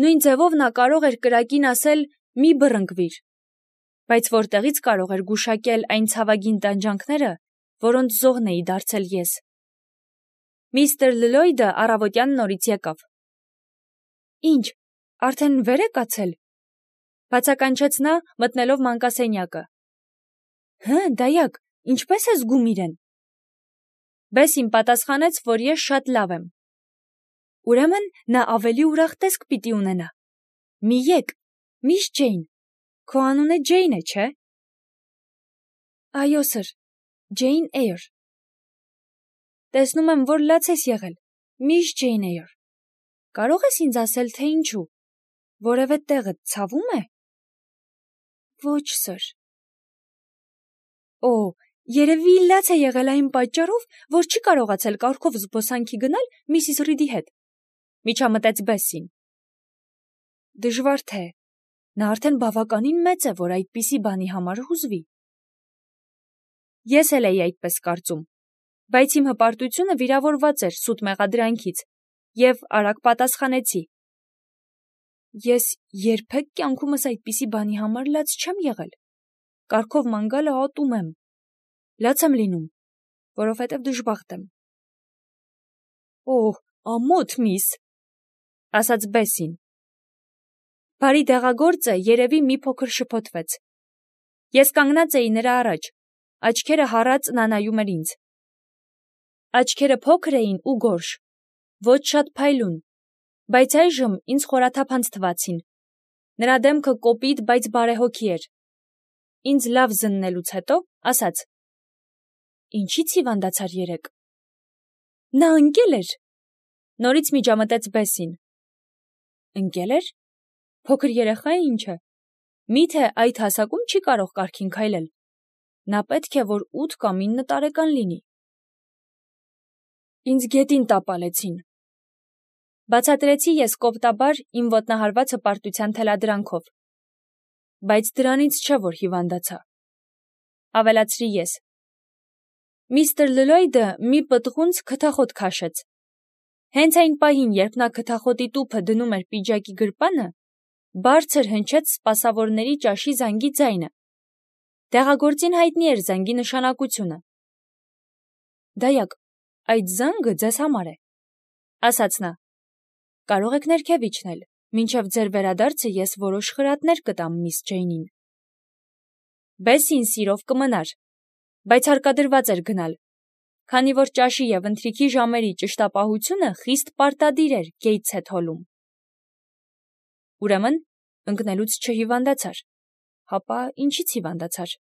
Նույն ձևով նա կարող էր կրակին ասել «մի բռնկվիր», բայց որտեղից կարող էր գուշակել այն ցավագին տանջանքները, որոնց զոհն էի դարձել ես։ Միստր Լլոյդը առավոտյան նորից եկավ։ Ինչ, արդեն վեր է կացել, բացականչեց նա, մտնելով մանկասենյակը։ Դայակ, ինչպես է զգում իրեն։ Բեսին պատասխանեց, որ ես շատ լավ եմ։ Ուրեմն նա ավելի ուրախ տեսք պիտի ունենա։ Մի եկ, միս Ջեյն, քո անունը Ջեյն է, չէ։ Այո, սըր, Ջեյն Էյր։ Տեսնում եմ, որ լաց ես եղել, միս Ջեյն Էյր։ Կարող ես ինձ ասել, թե ինչու, որևէ տեղը ցավում է։ Ոչ, սըր։ Օ, երևի լաց է եղել այն պատճառով, որ չի կարողացել կառքով զբոսանքի գնալ Միսիս Ռիդի հետ, միջամտեց Բեսին։ Դժվար թե, նա արդեն բավականին մեծ է, որ այդպիսի բանի համար հուզվի։ Ես էլ էի այդպես կարծում, բայց իմ հպարտությունը վիրավորված էր սուտ մեղադրանքից, և արագ պատասխանեցի. Ես երբեք կյանքումս այդպիսի բանի համար լաց չեմ եղել, կառքով ման գալը ատում եմ, լաց եմ լինում, որովհետև դժբախտ եմ։ Օհ, ամոթ միս, ասաց Բեսին։ Բարի դեղագործը երևի մի փոքր շփոթվեց։ Ես կանգնած էի նրա առաջ, աչքերը հառած նա նայում էր ինձ։ Աչքերը փոքր էին ու գորշ, ոչ շատ փայլուն, բայց այժմ ինձ խորաթափանց թվացին։ Նրա դեմքը կոպիտ, բայց բարեհոգի էր։ Ինձ լավ զննելուց հետո ասաց. Ինչի՞ց հիվանդացար երեկ։ Նա ընկել էր։ Նորից միջամտեց Բեսին։ Ընկել էր։ Փոքր երեխա է ինչ է։ Միթե այդ հասակում չի կարող կառքին քայլել։ Նա պետք է, որ 8 կամ 9 տարեկան լինի։ Ինձ գետին տապալեցին։ Բացատրեցի ես կոպտաբար իմ ոտնահարված հպարտության թելադրանքով։ Բայց դրանից չէ, որ հիվանդացա։ Ավելացրի ես։ Միստր Լլոյդը մի պտղունց քթախոտ քաշեց։ Հենց այն պահին, երբ նա քթախոտի տուփը դնում էր պիջակի գրպանը, բարձր հնչեց սպասավորների ճաշի զանգի ձայնը։ Դեղագործին հայտնի էր զանգի նշանակությունը։ Դայակ, այդ զանգը ձեզ համար է, ասաց նա։ Կարող եք ներքև իջնել, մինչև ձեր վերադարձը ես որոշ խրատներ կտամ միս Ջեյնին։ Բեսին սիրով կմնար, բայց հարկադրված էր գնալ, քանի որ ճաշի և ընթրիքի ժամերի ճշտապահությունը խիստ պարտադիր էր Գեյթսեթ հոլում։ Ուրեմն, ընկնելուց չհիվանդացար, հապա ինչից հիվանդացար։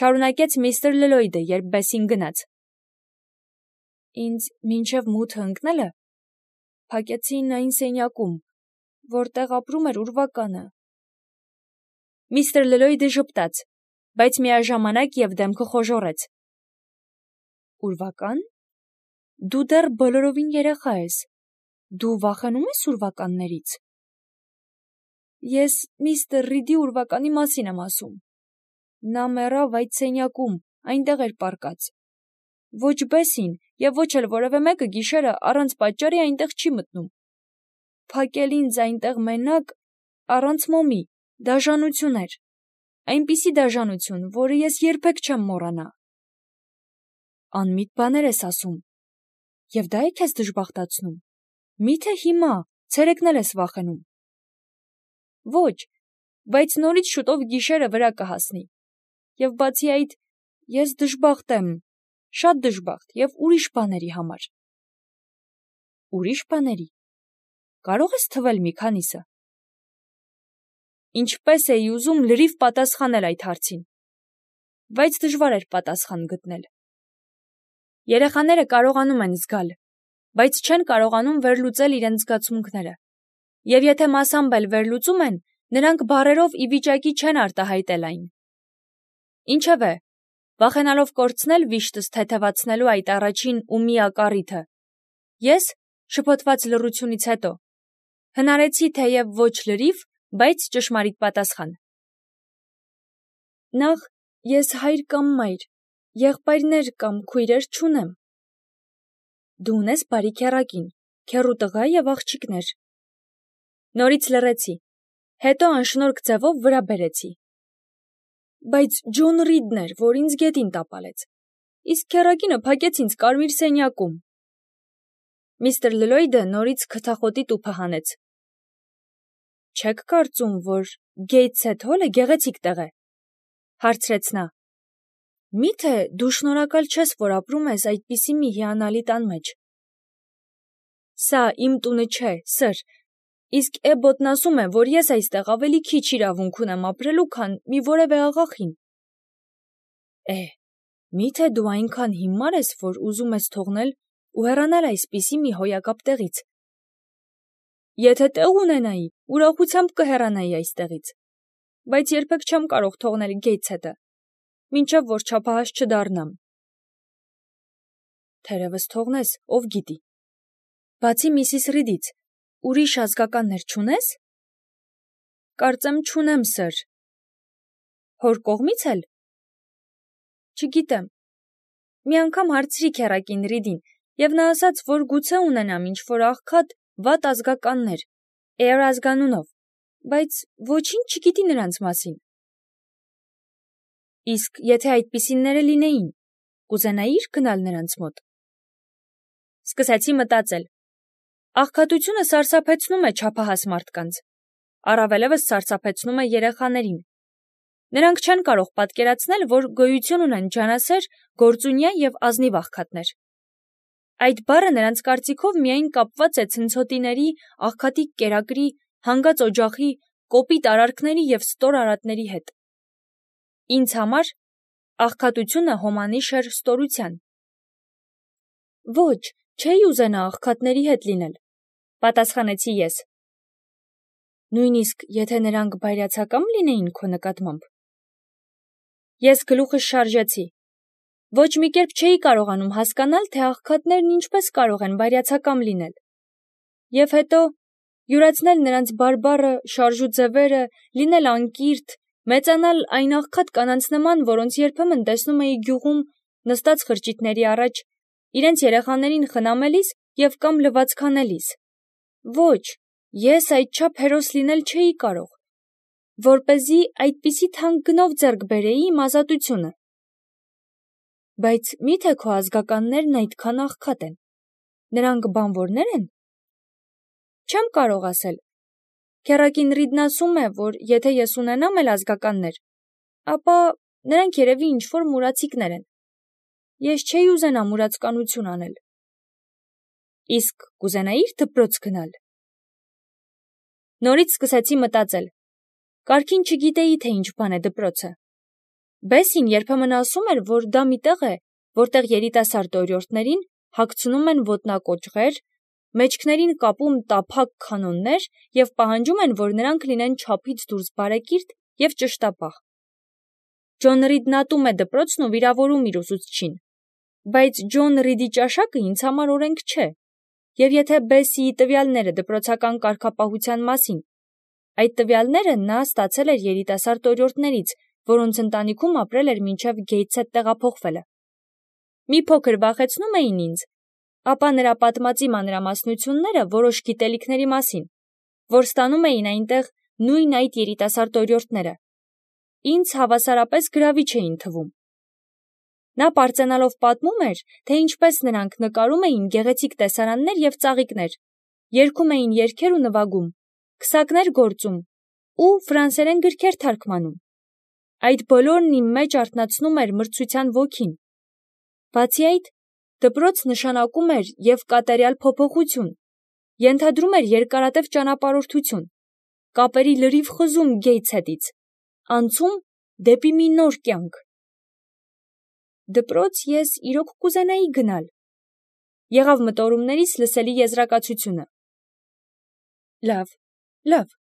Շարունակեց միստր Լլոյդը, երբ Բեսին գնաց։ Ինձ մինչև մութը ընկնելը փակեցին այն սենյակում, որտեղ ապրում էր ուրվականը։ Միստր Լլոյդը ժպտաց, բայց միաժամանակ և դեմքը խոժոռեց։ Ուրվական։ Դու դեռ բոլորովին երեխա ես։ Դու վախենում ես ուրվականներից։ Ես միստր Ռիդի ուրվականի մասին եմ ասում։ Նա մեռավ այդ սենյակում, այնտեղ էր պառկած։ Ոչ Բեսին և ոչ էլ որևէ մեկը գիշերը առանց պատճառի այնտեղ չի մտնում։ Փակել ինձ այնտեղ մենակ, առանց մոմի, դաժանություն էր։ Այնպիսի դաժանություն, որը ես երբեք չեմ մոռանա։ Անմիտ բաներ ես ասում։ Եվ դա է քեզ դժբախտացնում։ Միթե հիմա, ցերեկն էլ ես վախենում։ Ոչ, բայց նորից շուտով գիշերը վրա կհասնի։ Եվ բացի այդ, ես դժբախտ եմ, շատ դժբախտ և ուրիշ բաների համար։ Ուրիշ բաների։ Կարող ես թվել մի քանիսը։ Ինչպես էի ուզում լրիվ պատասխանել այդ հարցին, բայց դժվար էր պատասխան գտնել։ Երեխաները կարողանում են զգալ, բայց չեն կարողանում վերլուծել իրենց զգացմունքները։ Եվ եթե մասամբ էլ վերլուծում են, նրանք բառերով ի վիճակի չեն արտահայտել այն։ Ինչևէ, վախենալով կորցնել վիշտս թեթևացնելու այդ առաջին ու միակ առիթը, ես, շփոթված լռությունից հետո, հնարեցի թեև ոչ լրիվ, բայց ճշմարիտ պատասխան։ Նախ, ես հայր կամ մայր, եղբայրներ կամ քույրեր չունեմ։ Դու ունես բարի քեռակին, քեռու տղա և աղջիկներ։ Նորից լռեցի, հետո անշնորհք ձևով վրա բերեցի. Բայց Ջոն Ռիդն էր, որ ինձ գետին տապալեց, իսկ քեռակինը փակեց ինձ կարմիր սենյակում։ Միստր Լլոյդը նորից քթախոտի տուփը հանեց։ Չեք կարծում, որ Գեյթսեթ Հոլը գեղեցիկ տեղ է, հարցրեց նա։ Միթե դու շնորհակալ չես, որ ապրում ես այդպիսի մի հիանալի տան մեջ։ Սա իմ տունը չէ, սըր, իսկ Էբոտն ասում է, որ ես այստեղ ավելի քիչ իրավունք ունեմ ապրելու, քան մի որևէ աղախին։ Միթե դու այնքան հիմար ես, որ ուզում ես թողնել ու հեռանալ այսպիսի մի հոյակապ տեղից։ Եթե տեղ ունենայի, ուրախությամբ կհեռանայի այստեղից, բայց երբեք չեմ կարող թողնել Գեյթսեթը, մինչև որ չափահաս չդառնամ։ Թերևս թողնես, ով գիտի։ Բացի Միսիս Ռիդից, ուրիշ ազգականներ չունես։ Կարծեմ չունեմ, սըր։ Հոր կողմից էլ։ Չգիտեմ։ Մի անգամ հարցրի քեռակին Ռիդին, եւ նա ասաց, որ գուցե ունենամ ինչ-որ աղքատ վատ ազգականներ, Էյր ազգանունով, բայց ոչինչ չգիտի նրանց մասին։ Իսկ եթե այդպիսինները լինեին, կուզենայիր գնալ նրանց մոտ։ Սկսեցի մտածել։ Աղքատությունը սարսափեցնում է չափահաս մարդկանց, առավելևս սարսափեցնում է երեխաներին։ Նրանք չեն կարող պատկերացնել, որ գոյություն ունեն ջանասեր, գործունյա եւ ազնիվ աղքատներ։ Այդ բառը նրանց կարծիքով միայն կապված է ցնցոտիների, աղքատի կերակրի, հանգած օջախի, կոպիտ արարքների եւ ստոր արատների հետ։ Ինձ համար աղքատությունը հոմանիշ էր ստորության։ Ոչ, չէի ուզենա աղքատների հետ լինել, պատասխանեցի ես։ Նույնիսկ եթե նրանք բայրացակամ լինեին քո նկատմամբ։ Ես գլուխս շարժեցի։ Ոչ մի կերպ չէի կարողանում հասկանալ, թե աղքատներն ինչպես կարող են բայրացակամ լինել։ Եվ հետո յուրացնել նրանց բարբառը, շարժու ձևերը, լինել անկիրթ, մեծանալ այն աղքատ կանանց նման, որոնց երբեմն տեսնում էի գյուղում նստած խրճիթների առաջ, իրենց երեխաներին խնամելիս եւ կամ լվացքանելիս։ Ոչ, ես այդչափ հերոս լինել չէի կարող, որպեսզի այդպիսի թանկ գնով ձեռք բերեի իմ ազատությունը։ Բայց միթե քո ազգականներն այդքան աղքատ են։ Նրանք բանվորներ են։ Չեմ կարող ասել։ Քեռակին Ռիդն ասում է, որ եթե ես ունենամ էլ ազգականներ, ապա նրանք երևի ինչ-որ մուրացիկներ են։ Ես չէի ուզենա մուրացկանություն անել։ Իսկ կուզենայիր դպրոց գնալ։ Նորից սկսեցի մտածել։ Կարգին չգիտեի, թե ինչ բան է դպրոցը։ Բեսին երբեմն ասում էր, որ դա մի տեղ է, որտեղ երիտասարդ օրիորդներին հագցնում են ոտնակոճղեր, մեջքներին կապում տափակ քանոններ եւ պահանջում են, որ նրանք լինեն չափից դուրս բարեկիրթ եւ ճշտապահ։ Ջոն Ռիդն ատում է դպրոցն ու վիրավորում իր ուսուցչին։ Բայց Ջոն Ռիդի ճաշակը ինձ համար օրենք չէ։ Եվ եթե Բեսիի տվյալները դպրոցական կարգապահության մասին, այդ տվյալները նա ստացել էր երիտասարդ օրիորդներից, որոնց ընտանիքում ապրել էր մինչև Գեյթսեթ տեղափոխվելը։ Մի փոքր վախեցնում էին ինձ, ապա նրա պատմածի մանրամասնությունները որոշ գիտելիքների մասին, որ ստանում էին այնտեղ նույն այդ երիտասարդ օրիորդները, ինձ հավասարապես գրավիչ էին թվում։ Նա պարծենալով պատմում էր, թե ինչպես նրանք նկարում էին գեղեցիկ տեսարաններ եւ ծաղիկներ, երգում էին երգեր ու նվագում, քսակներ գործում ու ֆրանսերեն գրքեր թարգմանում։ Այդ բոլորն իմ մեջ արթնացնում էր մրցության ոգին։ Բացի այդ, դպրոց նշանակում էր եւ կատարյալ փոփոխություն, ենթադրում էր երկարատև ճանապարհորդություն, կապերի լրիվ խզում Գեյթսեթից, անցում դեպի մի նոր կյանք։ Դպրոց ես իրոք կուզենայի գնալ։ Եղավ մտորումներիս լսելի եզրակացությունը։ Լավ,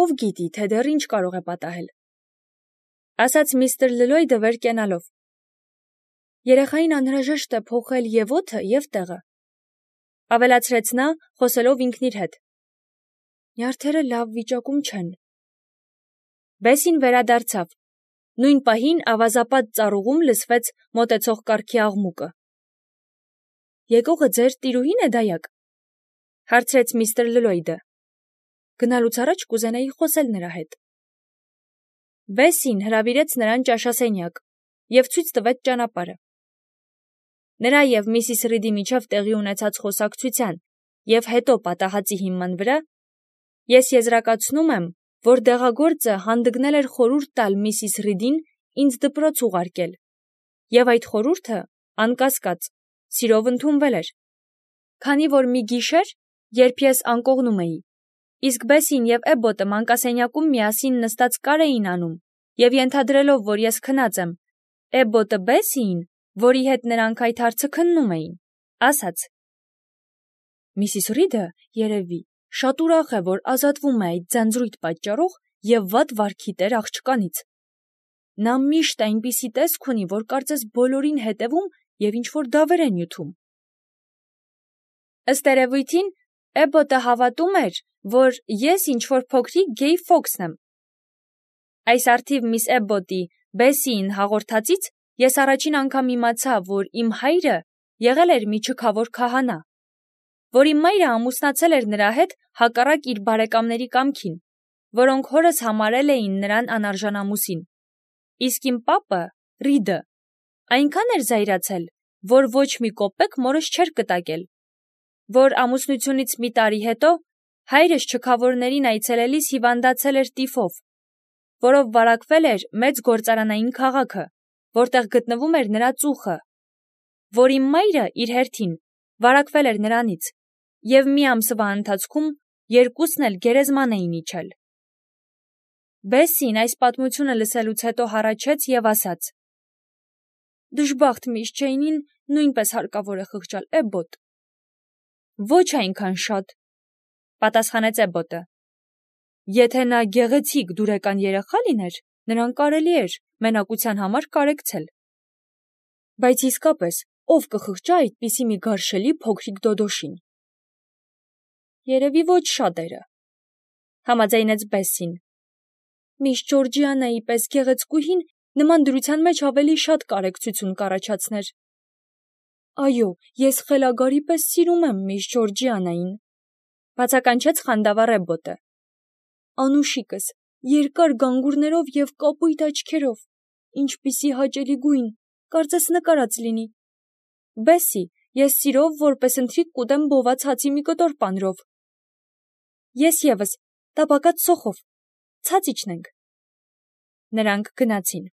ով գիտի, թե դեռ ինչ կարող է պատահել, ասաց միստր Լլոյդը վեր կենալով։ Երեխային անհրաժեշտ է փոխել եւ օդը, եւ տեղը, ավելացրեց նա, խոսելով ինքն իր հետ։ Նյարդերը լավ վիճակում չեն։ Բեսին վերադարձավ։ Նույն պահին ավազապատ ծառուղում լսվեց մոտեցող կառքի աղմուկը։ Եկողը ձեր տիրուհին է, դայակ, հարցրեց միստր Լլոյդը։ Գնալուց առաջ կուզենայի խոսել նրա հետ։ Բեսին հրավիրեց նրան ճաշասենյակ և ցույց տվեց ճանապարհը։ Նրա և Միսիս Ռիդի միջև տեղի ունեցած խոսակցության և հետո պատահածի հիման վրա ես եզրակացնում եմ, որ դեղագործը հանդգնել էր խորհուրդ տալ Միսիս Ռիդին ինձ դպրոց ուղարկել, և այդ խորհուրդը, անկասկած, սիրով ընդունվել էր, քանի որ մի գիշեր, երբ ես անկողնում էի, իսկ Բեսին և Էբոտը մանկասենյակում միասին նստած կար էին անում, և ենթադրելով, որ ես քնած եմ, Էբոտը Բեսիին, որի հետ նրանք այդ հարցը քննում էին, ասաց. «Միսիս Ռիդը, երևի, շատ ուրախ է, որ ազատվում է այդ ձանձրույթ պատճառով և վատ վարքի տեր աղջկանից։ Նա միշտ այնպիսի տեսք ունի, որ կարծես բոլորին հետևում և ինչ-որ դավեր է նյութում»։ Ըստ երևույթին, Էբոտը հավատում էր, որ ես ինչ-որ փոքրիկ գեյ ֆոքսն եմ։ Այս առթիվ միս Էբոտի Բեսիին հաղորդածից ես առաջին անգամ իմացա, որ իմ հայրը եղել էր մի չքավոր քահանա, որ իմ մայրը ամուսնացել էր նրա հետ հակառակ իր բարեկամների կամքին, որոնք հորս համարել էին նրան անարժանամուսին, իսկ իմ պապը՝ Ռիդը, այնքան էր զայրացել, որ ոչ մի կոպեկ մորս չէր կտակել, որ ամուսնությունից մի տարի հետո հայրս չքավորներին այցելելիս հիվանդացել էր տիֆով, որով վարակվել էր մեծ գործարանային քաղաքը, որտեղ գտնվում էր նրա ծուխը, որ իմ մայրը իր հերթին վարակվել էր նրանից, և մի ամսվա ընթացքում երկուսն էլ գերեզման էին իջել։ Բեսին այս պատմությունը լսելուց հետո հառաչեց և ասաց. «Դժբախտ միս Ջեյնին նույնպես հարկավոր է խղճալ, Էբոտ»։ «Ոչ այնքան շատ», պատասխանեց Էբոտը։ «Եթե նա գեղեցիկ դուրեկան երեխա լիներ, նրան կարելի էր մենակության համար կարեկցել։ Բայց իսկապես, ով կխղճա այդպիսի մի գարշելի փոքրիկ դոդոշին»։ «Երևի ոչ շատերը», համաձայնեց Բեսին։ «Միս Ջորջիանայի պես գեղեցկուհին նման դրության մեջ ավելի շատ կարեկցություն կառաջացներ»։ «Այո, ես խելագարի պես սիրում եմ միս Ջորջիանային», բացականչեց խանդավառ Էբոտը։ «Անուշիկս, երկար գանգուրներով և կապույտ աչքերով, ինչպիսի հաճելի գույն, կարծես նկարած լինի։ Բեսի, ես սիրով որպես ընթրիք կուտեմ բոված հացի մի կտոր պանրով»։ «Ես ևս, տապակած սոխով, ցած իջնենք»։ Նրանք գնացին։